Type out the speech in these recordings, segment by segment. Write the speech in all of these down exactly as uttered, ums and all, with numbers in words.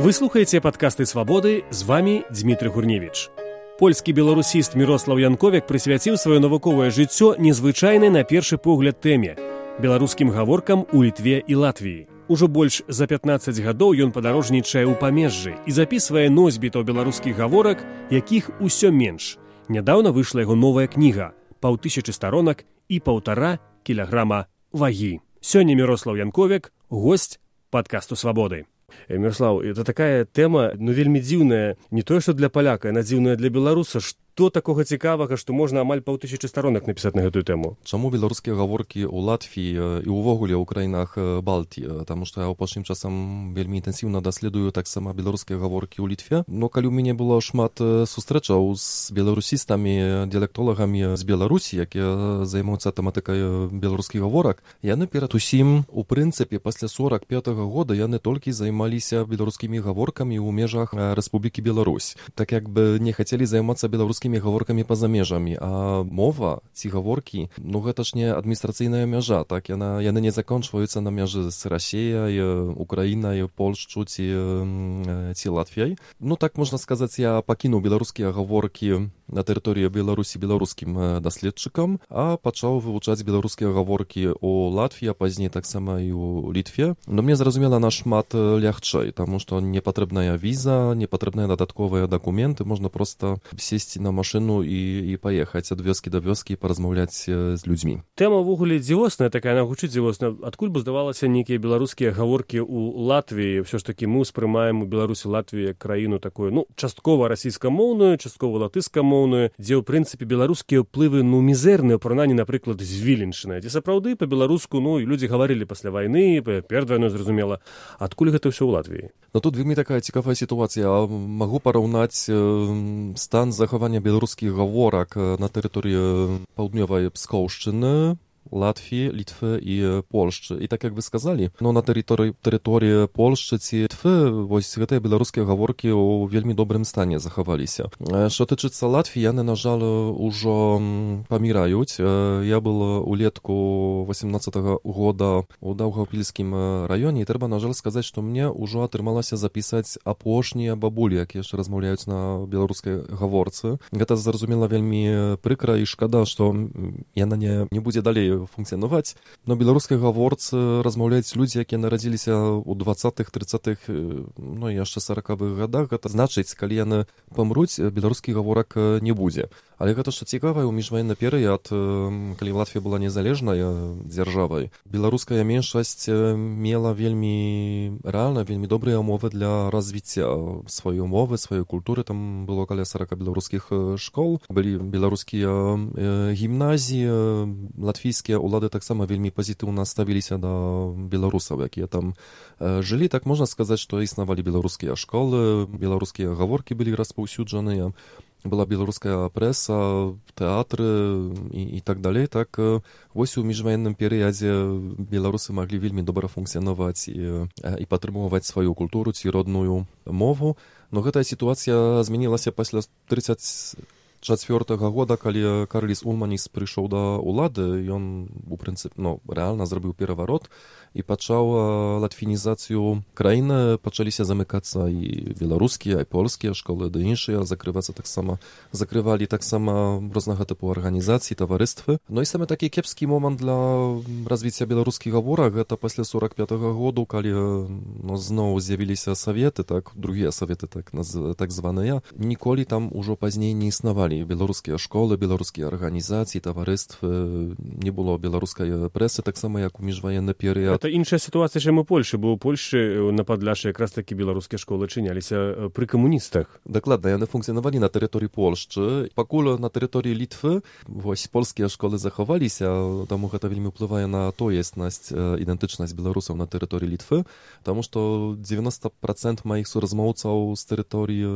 Вы слухаеце падкасты «Свабоды», з вами Дмітрый Гурневіч. Польскі беларусіст Мірослаў Янковік прысвяціў сваё навуковае жыццё незвычайнай на першы погляд тэме – беларускім гаворкам у Літве і Латвіі. Ужо больш за пятнаццаць гадоў ён падарожнічае ў памежжы і запісвае носьбітаў беларускіх гаворак, якіх усё менш. Нядаўна выйшла яго новая кніга – паўтысячы старонак і паўтара кілаграма вагі. Сёння Мірослаў Янковік – госць падкасту «Свабоды». Мірослаў, это такая тэма, ну, вельмі дзіўная, не тое, што для паляка, яна дзіўная для беларуса. Што такога цікавага, што можна амаль паўтысячы старонак напісаць на гэтую тэму? Чаму беларускія гаворкі ў Латвіі і ўвогуле ў краінах Балтыі? Таму што я апошнім часам вельмі інтэнсіўна даследую таксама беларускія гаворкі ў Літве. Но калі ў мяне было шмат сустрэчаў з беларусістамі, дыялектолагамі з Беларусі, якія займаюцца тэматыкай беларускіх гаворак, яны перад усім, у прынцыпе, пасля сорак пятага года яны толькі займаліся беларускімі гаворкамі ў межах Рэспублікі Беларусь. Так як бы не хацелі займацца беларускімі гаворкамі па-за межамі, а мова, ці гаворкі, ну гэта ж не адміністрацыйная мяжа, так, яна, яны не закончваюцца на мяжы з Расіяй, Украінай, Польшчу ці, ці Латвіяй. Ну так можна сказаць, я пакінуў беларускія гаворкі на тэрыторыі Беларусі беларускім даследчыкам, а пачаў вывучаць беларускія гаворкі ў Латвіі, а пазней таксама і ў Літве. Но мне зразумела нашмат лягчэй, таму што не патрэбная віза, не патрэбныя дадатковыя дакументы, можна проста сесці на машину і, і паехаць ад вёскі да вёскі і паразмаўляць з людзьмі. Тэма ўвогуле дзівосная такая, она гучыць дзівосна. Адкуль бы здавалася нейкія беларускія гаворкі ў Латвіі? Ўсё ж такі мы ўспрымаем у Беларусі Латвію як краіну такую, ну, часткова расійскамоўную, часткова латышскамоўную, дзе ў прынцыпе беларускія ўплывы, ну, мізэрныя ў параўнанні, напрыклад, з Віленшчынай. Ці сапраўды па-беларуску, ну, і людзі гаварылі пасля вайны, перад вайной, зразумела. Адкуль гэта ўсё ў Латвіі? Ну тут вельмі такая цікавая сітуацыя. Магу параўнаць э, стан захавання беларускіх гаворак на тэрыторыі паўднёвай Пскоўшчыны, Латвіі, Літвы і Польшчы. І так як вы сказалі, ну, на тэрыторыі, тэрыторыі Польшчы ці Літвы вось гэтыя беларускія гаворкі ў вельмі добрым стане захаваліся. Што тычыцца Латвіі, яны, на жаль, ужо паміраюць. Я был улетку восемнадцатага года у Даўгаўпільскім раёне, і трэба, на жаль, сказаць, што мне ўжо атрымалася запісаць апошнія бабулі, якія яшчэ размаўляюць на беларускай гаворцы. Гэта, зразумела, вельмі прыкра і шкада, што яна не, не будзе далей функцыянаваць. На беларускай гаворцы размаўляюць людзі, якія нарадзіліся ў двадцатых, трыццатых, ну і яшчэ саракавых гадах. Гэта значыць, калі яны памруць, беларускі гаворак не будзе. Але гэта што цікавае, у міжваенны перыяд, калі Латвія была незалежнай дзяржавай, беларуская меншасць мела вельмі рэальна, вельмі добрыя умовы для развіцця сваёй мовы, сваёй культуры. Там было каля сарака беларускіх школ, былі беларускія гімназіі, латвійскія улады таксама вельмі пазітыўна ставіліся да беларусаў, якія там жылі. Так можна сказаць, што існавалі беларускія школы, беларускія гаворкі былі распаўсюджаныя, была беларуская прэса, тэатры і, і так далей. Так вось у міжваенным перыядзе беларусы маглі вельмі добра функцыянаваць і, і падтрымоўваць сваю культуру ці родную мову. Но гэтая сітуацыя змянілася пасля трыццаць чацвёртага года, калі Карліс Улманіс прыйшоў да ўлады, ён у прынцыпе, ну, рэальна зрабіў пераварот і пачаў латвінізацыю краіны. Пачаліся замыкацца і беларускія, і польскія школы, ды іншыя, закрывацца таксама, закрывалі таксама рознага тыпу арганізацыі, таварыствы. Ну і самы такі кепскі момант для развіцця беларускіх гаворак, гэта пасля сорак пятага году, калі, ну, зноў з'явіліся саветы, так, другія саветы, так, так званыя, ніколі там ужо пазней не існавалі беларускія школы, беларускія арганізацыі, таварыствы, не было беларускай прэсы, таксама як у міжваенны перыяд. Гэта іншая сітуацыя, чым у Польшы, бо ў Польшы на Падляшшы якраз такі беларускія школы чыняліся пры камуністах. Дакладна, яны функцыянавалі на тэрыторыі Польшчы. Пакуль на тэрыторыі Літвы вось польскія школы захаваліся, таму гэта вельмі ўплывае на тоеснасць, ідэнтычнасць беларусаў на тэрыторыі Літвы, таму што дзевяноста працэнтаў маіх суразмоўцаў з тэрыторыі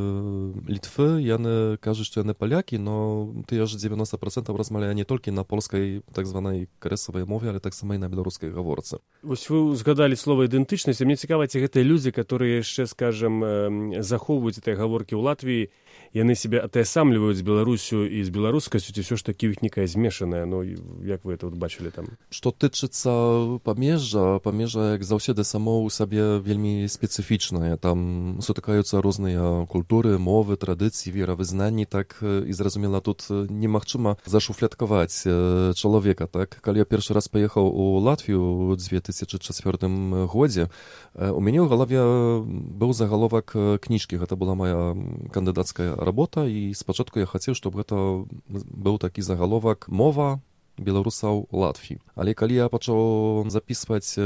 Літвы, яны кажуць, што яны палякі, но тыя ж дзевяноста працэнтаў размаўляе не толькі на польскай так званай крэсавай мове, але таксама і на беларускай гаворцы. Вось вы згадалі слова ідэнтычнасць, мне цікава, ці гэтыя людзі, которые яшчэ, скажам, захоўваюць гэтыя гаворкі ў Латвіі, яны себе атаясамліваюць з Беларусю і з беларускасцю, ці ўсё ж такі ў іх некая змешаная, ну, як вы это вот бачылі там? Што тычыцца памежжа, памежжа, як заўсёды, само ў сабе вельмі спецыфічнае. Там сутыкаюцца розныя культуры, мовы, традыцыі, веравызнанні, так, і зразумела, тут немагчыма зашуфляткаваць чалавека, так. Калі я першы раз паехаў у Латвію ў дзве тысячы чацвёртым годзе, у мяне ў галаве быў загаловак кніжкі, гэта была моя кандыдацкая работа, і спачатку я хацеў, чтобы гэта быў такі загаловак «Мова беларусаў Латвіі». Але калі я пачаў запісваць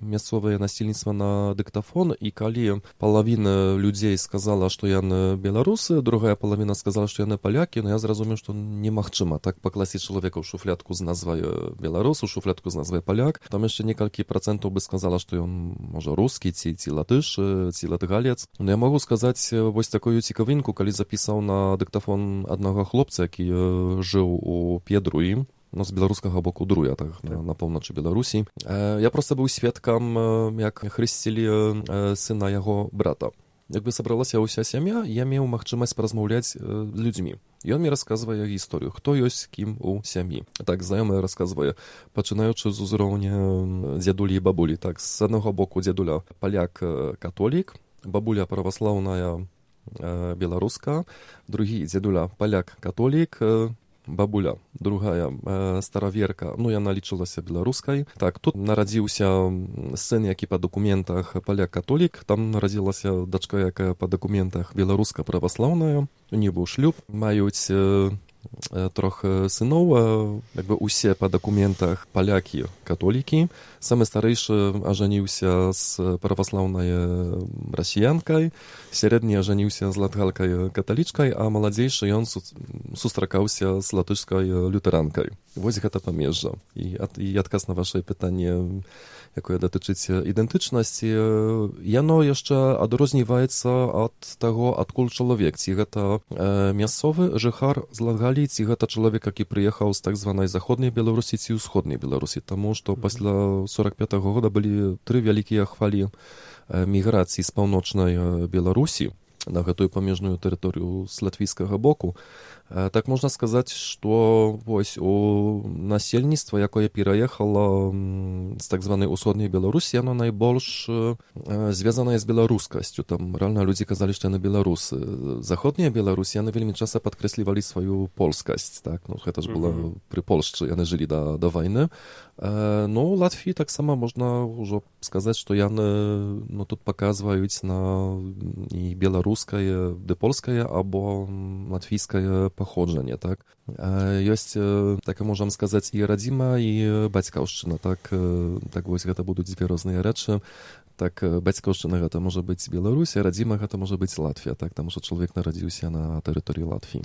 мясцовае насельніцтва на дыктафон, і калі палавіна людзей сказала, што яны беларусы, другая палавіна сказала, што яны палякі, ну я зразумеў, што немагчыма так пакласці чалавека ў шуфлядку з назвай беларус, у шуфлядку з назвай паляк. Там яшчэ некалькі працэнтаў бы сказала, што ён, можа, рускі, ці, ці латыш, ці латгалец. Ну я магу сказаць вось такую цікавінку, калі запісаў на дыктафон аднаго хлопца, які жыў у П'єдруі, ну, з беларускага боку Друя, так, на, на поўначы Беларусі. Э, я проста быў сведкам, як хрысцілі э, сына яго брата. Як бы сабралася ўся сям'я, я меў магчымасць паразмаўляць э, з людзьмі. Ён мне расказвае гісторыю, хто ёсць кім у сям'і. Так, знаёмая расказвае, пачынаючы з узроўня дзядулі і бабулі. Так, з аднаго боку дзядуля паляк-католік, бабуля праваслаўная э, беларуска, другі дзядуля паляк-католік, э, бабуля, другая э, стараверка, ну яна лічылася беларускай. Так, тут нарадзіўся сын, які па дакументах паляк-католік, там нарадзілася дачка, якая па дакументах беларуска праваслаўная, у них быў шлюб, маюць э, трох сыноў, як бы усе па дакументах палякі, католікі. Самы старэйшы ажаніўся з праваслаўнай расіянкай, сярэдні ажаніўся з латгалкай каталічкай, а маладзейшы ён сустракаўся з латышскай лютэранкай. Вось гэта памежжа. І, і адказ на вашае пытанне, якое датычыць ідэнтычнасці, яно яшчэ адрозніваецца ад таго, адкуль чалавек. Ці гэта э, мясцовы жыхар з Латгаліі, ці гэта чалавек, які прыехаў з так званай заходняй Беларусі ці ўсходняй Беларусі. Таму што пасля сорак пятага года былі тры вялікія хвалі э, міграцыі з паўночнай Беларусі на гэтую памежную тэрыторыю з латвійскага боку. Так можна сказаць, што вось у насельніцтва, якое пераехала з так званай усходняй Беларусі, яно найбольш звязанае з беларускасцю. Там рэальна людзі казалі, што яны беларусы. Заходняя Беларусь, яны вельмі часта падкрэслівалі сваю польскасць. Так? Ну, гэта ж была mm-hmm. пры Польшчы, яны жылі да, да вайны. Ну, у Латвіі таксама можна ўжо сказаць, што яны ну, тут паказваюць на і беларускае, ды польскае, або латвійскае паходжанне, так. Ёсць, так можам сказаць, і радзіма, і бацькаўшчына, так. Так вось гэта будуць дзве розныя рэчы. Так, бацькаўшчына гэта можа быць Беларусь, а радзіма гэта можа быць Латвія, так, таму што чалавек нарадзіўся на тэрыторыі Латвіі.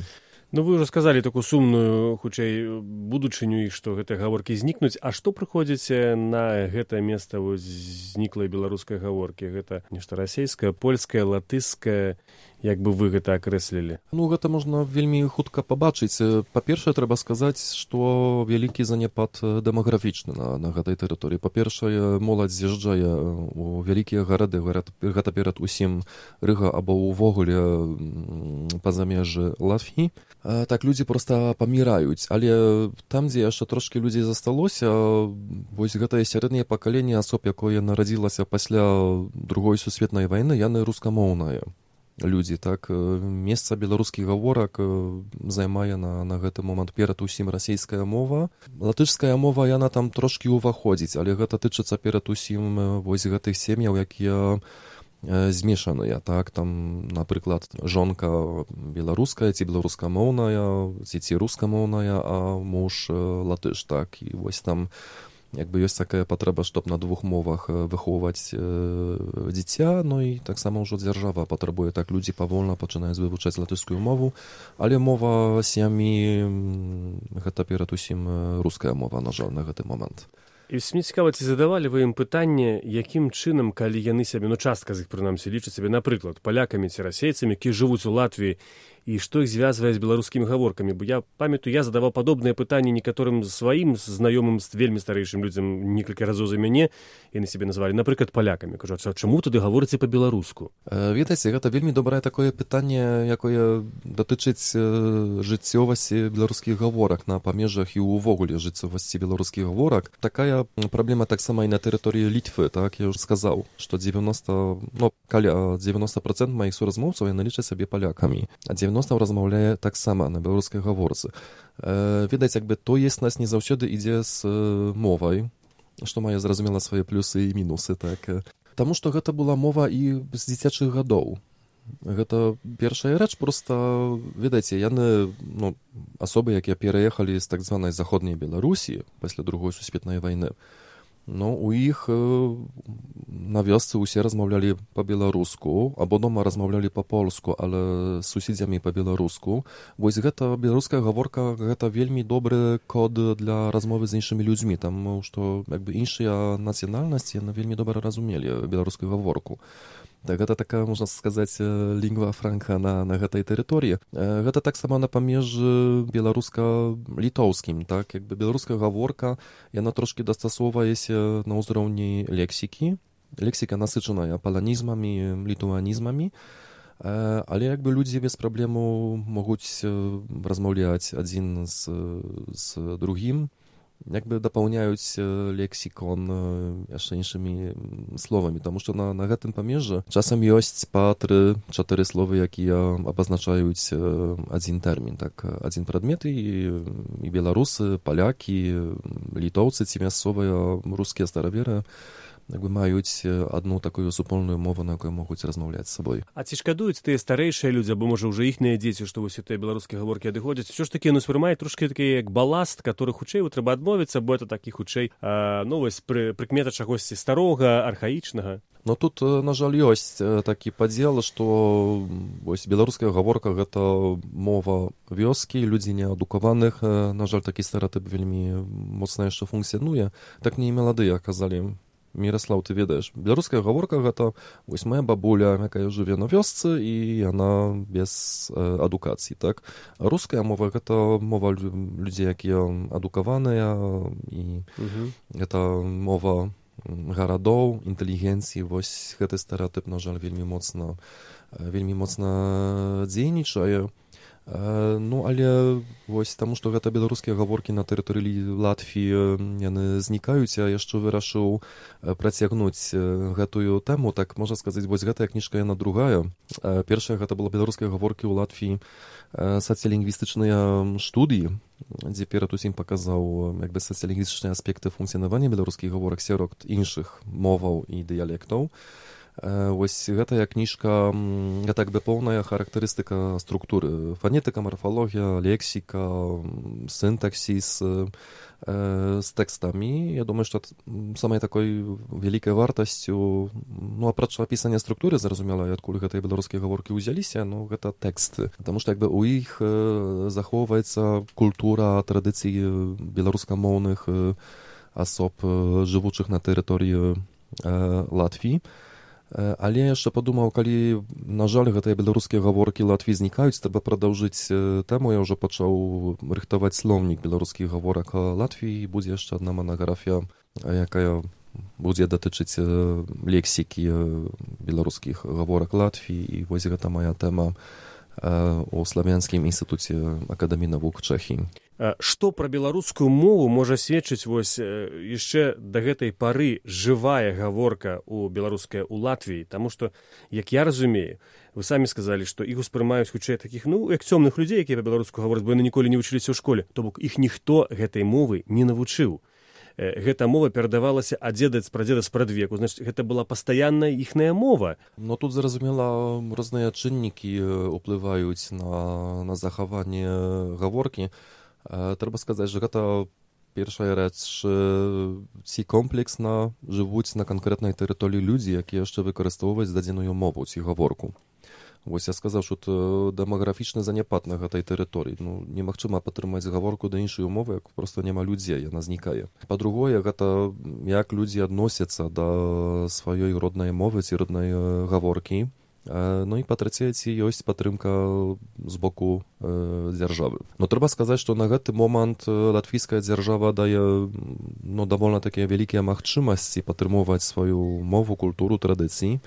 Ну, вы ўжо сказалі такую сумную, хутчэй, будучыню, і што гэтыя гаворкі знікнуць. А што прыходзіце на гэтае месца зніклай беларускай гаворкі? Гэта нешта расейскае, польскае, латышскае? Як бы вы гэта акрэслілі? Ну, гэта можна вельмі хутка пабачыць. Па-першае, трэба сказаць, што вялікі заняпад дэмаграфічны на, на гэтай тэрыторыі. Па-першае, моладзь з'язджае у вялікія гарады, гэта перад усім Рыга або ўвогуле па замежжы Латвіі. Так, людзі проста паміраюць. Але там, дзе яшчэ трошкі людзей засталося, вось гэтае сярэдняе пакаленне асоб, якое нарадзілася пасля другой сусветнай вайны, яны рускамоўныя людзі, так, месца беларускіх гаворак займае на, на гэты момант перад усім расійская мова. Латышская мова, яна там трошкі ўваходзіць, але гэта тычыцца перад усім вось гэтых сем'яў, якія змешаныя, так, там, напрыклад, жонка беларуская, ці беларускамоўная, ці ці рускамоўная, а муж латыш, так, і вось там як бы ёсць такая патрэба, чтоб на двух мовах выхоўваць э, дзіця, ну і таксама ўжо дзяржава патрабуе, так, людзі павольна пачынаюць вывучаць латышскую мову, але мова сям'і гэта перад усім руская мова, на жаль, на гэты момант. І мне цікава, ці задавалі вы ім пытанне, якім чынам, калі яны сябе, ну частка з іх прынамсі лічаць сябе, напрыклад, палякамі ці расейцамі, які жывуць у Латвіі, і што іх звязвае з беларускімі гаворкамі. Бо я памятаю, я задаваў падобныя пытанні некаторым сваім знаёмым з вельмі старэйшым людзям некалькі разоў за мяне, яны сябе назвалі, напрыклад, палякамі. Кажу, а чаму туды гаворыце па-беларуску? Ведаеце, гэта вельмі добрае такое пытанне, якое датычыць жыццёвасці беларускіх гаворак на памежах і ўвогуле жыццёвасці беларускіх гаворак. Такая праблема таксама і на тэрыторыі Літвы, так, я ўжо сказаў, што девяносто, ну, каля девяносто процентов маіх суразмоўцаў яны лічаць сабе палякамі, а девяносто размаўляе таксама на беларускай гаворцы. Відаць, як бы тоеснасць не заўсёды ідзе з мовай, што мае, зразумела, свае плюсы і мінусы, так. Таму што гэта была мова і з дзіцячых гадоў. Гэта першая рэч, проста, ведаеце, яны, ну, асобы, якія пераехалі з так званай заходняй Беларусі пасля другой сусветнай вайны, ну, у іх на вёсцы ўсе размаўлялі па-беларуску, або дома размаўлялі па-польску, але з суседзямі па-беларуску. Вось гэта беларуская гаворка, гэта вельмі добры код для размовы з іншымі людзьмі, таму што як бы іншыя нацыянальнасці яны вельмі добра разумелі беларускую гаворку. Так, гэта такая, можна сказаць, лінгва франка на, на гэтай тэрыторыі. Гэта таксама на памежы беларуска-літоўскім, так, як бы беларуская гаворка, яна трошкі дастасоўваецца на ўзроўні лексікі. Лексіка насычаная паланізмамі, літуанізмамі, але як бы людзі без праблему могуць размаўляць адзін з, з другім, як бы дапаўняюць лексікон яшчэ іншымі словамі, таму што на, на гэтым памежжы часам ёсць па тры-чатыры словы, якія абазначаюць адзін тэрмін, так, адзін прадмет, і, і беларусы, палякі, літоўцы ці мясцовыя рускія стараверы як бы маюць адну такую супольную мову, на якой могуць размаўляць з сабой. А ці шкадуюць тыя старэйшыя людзі, або, можа, ўжо іхныя дзеці, што вось тыя беларускія гаворкі адыходзяць? Усё ж такі яны ўспрымаюць трошкі такі як баласт, который хутчэй трэба адмовіцца, бо это такі хутчэй, а, ну, вось пры, прыкмета чагосьці старога, архаічнага. Но тут, на жаль, ёсць такі падзел, што вось беларуская гаворка — гэта мова вёскі, людзі неадукаваных. На жаль, такі стэрэатып вельмі моцна яшчэ функцыянуе. Так не і маладыя казалі. Міраслаў, ты ведаеш, беларуская гаворка — гэта вось моя бабуля, якая жыве на вёсцы, і яна без э, адукацыі, так? Руская мова — гэта мова людзей, якія адукаваныя, і uh-huh. гэта мова гарадоў, інтэлігенцыі. Вось гэты стэрэатып, на жаль, вельмі моцна, вельмі моцна дзейнічае. Ну, але вось таму, што гэта беларускія гаворкі на тэрыторыі Латвіі, яны знікаюць, а яшчэ вырашыў працягнуць гэтую тэму. Так, можна сказаць, вось гэтая кніжка, яна другая. Першая — гэта была беларускія гаворкі ў Латвіі, сацыялінгвістычныя студыі, дзе перад усім паказаў як бы сацыялінгвістычныя аспекты функцыянавання беларускіх гаворак сярод іншых моваў і дыялектаў. Вось гэтая кніжка, гэта як бы поўная характарыстыка структуры, фанетыка, марфалогія, лексіка, сінтаксіс з тэкстамі. Я думаю, што самай такой вялікай вартасцю, ну, апрача апісання структуры, зразумела, адкуль гэтыя беларускія гаворкі ўзяліся, ну, гэта тэксты. Таму што як бы у іх захоўваецца культура, традыцыі беларускамоўных асоб, жывучых на тэрыторыі Латвіі. Але яшчэ падумаў, калі, на жаль, гэтыя беларускія гаворкі Латвіі знікаюць, трэба прадаўжыць тэму. Я ўжо пачаў рыхтаваць слоўнік беларускіх гаворак Латвіі. Будзе яшчэ адна манаграфія, якая будзе датычыць лексікі беларускіх гаворак Латвіі. І вось гэта моя тэма у славянскім інстытуце акадэміі навук Чэхіі. Што пра беларускую мову можа сведчыць вось яшчэ да гэтай пары жывая гаворка у беларуская ў Латвіі? Таму што, як я разумею, вы самі сказалі, што іх успрымаюць хутчэй такіх, ну, як цёмных людзей, якія па-беларуску гавораць, бо яны ніколі не вучыліся ў школе. То бок іх ніхто гэтай мовы не навучыў. Гэта мова перадавалася ад дзеда з прадзеда з прадвеку, значыць, гэта была пастаянная іхная мова. Но тут, зразумела, розныя чыннікі ўплываюць на, на захаванне гаворкі. Трэба сказаць, што гэта першая рэч, ці комплексна жывуць на канкрэтнай тэрыторыі людзі, якія яшчэ выкарыстоўваюць дадзеную мову ці гаворку. Вось я сказаў, што дэмаграфічны заняпад на гэтай тэрыторыі. Ну, немагчыма падтрымаць гаворку да іншай мовы, як проста няма людзей, яна знікае. Па-другое, гэта як людзі адносяцца да сваёй роднай мовы ці роднай гаворкі. No i po trzecie, ці ёсць падтрымка з боку дзяржавы. Но трэба сказаць, што на гэты момант латвійская дзяржава дае ну, даволі такія вялікія магчымасці падтрымоўваць сваю мову, культуру, традыцыі.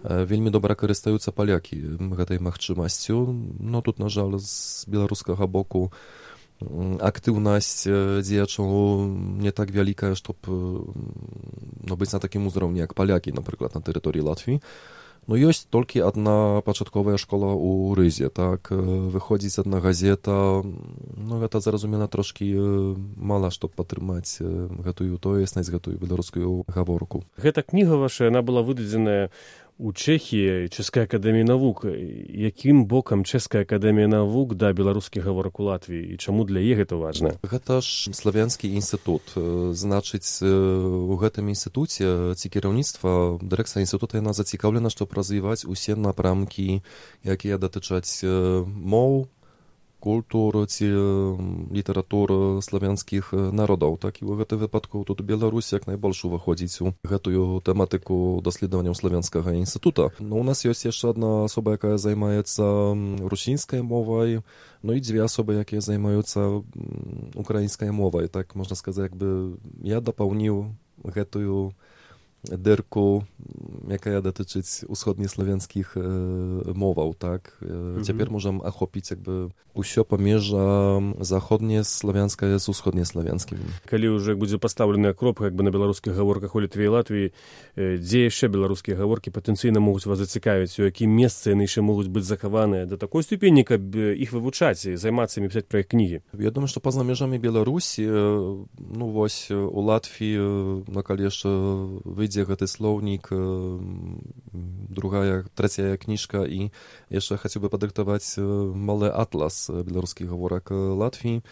Вельмі добра карыстаюцца палякі гэтай магчымасцю. Но тут, на жаль, з беларускага боку актыўнасць дзеячаў не так вялікая, щоб ну, быць на такім узроўні, як палякі, напрыклад, на тэрыторыі Латвіі. Ну, ёсць толькі адна пачатковая школа ў Рызе, так, выходзіць адна газета, ну, гэта, зразумела, трошкі мала, щоб падтрымаць гэтую тоеснасць, гэтую беларускую гаворку. Гэта кніга ваша, яна была выдадзеная у Чэхіі, Чэшскай акадэміі навук. Якім бокам Чэшская акадэмія навук да беларускіх гаворак у Латвіі і чаму для яе гэта важна? Гэта ж славянскі інстытут. Значыць, у гэтым інстытуце ці кіраўніцтва, дырэкцыя інстытута, яна зацікаўлена, щоб развіваць усе напрамкі, якія датычаць моў, культур ці літаратур славянскіх народаў. Так, і ў гэтым выпадку тут Беларусь як найбольш уваходзіць у гэтую тэматыку даследаванняў славянскага інстытута. Но у нас ёсць яшчэ адна асоба, якая займаецца русінскай мовай, ну і дзве асобы, якія займаюцца украінскай мовай. Так, можна сказаць, як бы я дапаўніў гэтую дырку, якая датычыць усходнеславянскіх моваў, так. Mm-hmm. Цяпер можам ахопіць як бы ўсё паміж заходнеславянскае з усходнеславянскім. Калі ўжо будзе пастаўленая кропка як бы на беларускіх гаворках у Літве і Латвіі, дзе яшчэ беларускія гаворкі патэнцыйна могуць вас зацікавіць, у якім месцы яны яшчэ могуць быць захаваныя да такой ступені, каб іх вывучаць і займацца імі, пісаць пра іх кнігі? Я думаю, што па-за межамі Беларусі, ну вось у Латвіі, ну калі яшчэ выйдзе гэты слоўнік, другая, трэцяя кніжка, і яшчэ хацеў бы падрыхтаваць малы атлас беларускіх гаворак Латвіі.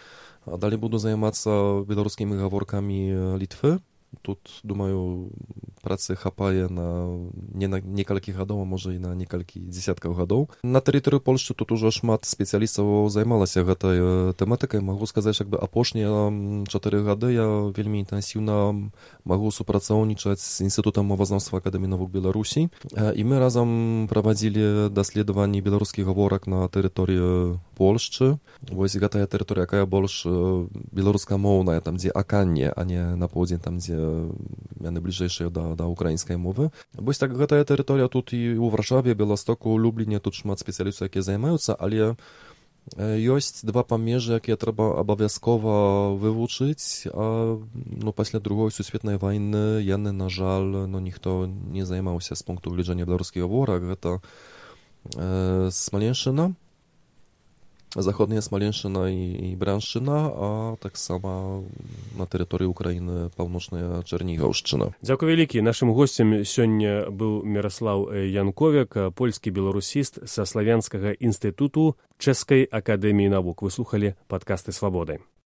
А далей буду займацца беларускімі гаворкамі Літвы. Тут, думаю, працы хапае на не на некалькі гадоў, а можа і на некалькі дзесяткаў гадоў. На тэрыторыі Польшчы тут ужо шмат спецыялістаў займалася гэтай тэматыкай. Магу сказаць, як бы апошнія чатыры гады я вельмі інтэнсіўна магу супрацоўнічаць з інстытутам мовазнаўства Акадэміі навук Беларусі. І мы разам правадзілі даследаванні беларускіх гаворак на тэрыторыі Польшчы. Вось гэтая тэрыторыя, якая больш беларускамоўная, там дзе Аканне, а не на поўдзень, там дзе яны бліжэйшыя да, да украінскай мовы. Вось так гэтая тэрыторыя тут і ў Варшаве, Беластоку, Любліне, тут шмат спецыялістаў, якія займаюцца, але ёсць два памежы, якія трэба абавязкова вывучыць, а ну, пасля другой сусветнай вайны яны, на жаль, ну, ніхто не займаўся з пункту гледжання беларускіх гаворак. Гэта э, Смаленшчына, заходняя Смаленшчына і, і Браншчына, а таксама на тэрыторыі Украіны паўночная Чарнігаўшчына. Дзякуй вялікі. Нашым госцем сёння быў Міраслаў Янковек, польскі беларусіст са Славянскага інстытуту Чэшскай акадэміі навук. Вы слухалі падкасты Свабоды.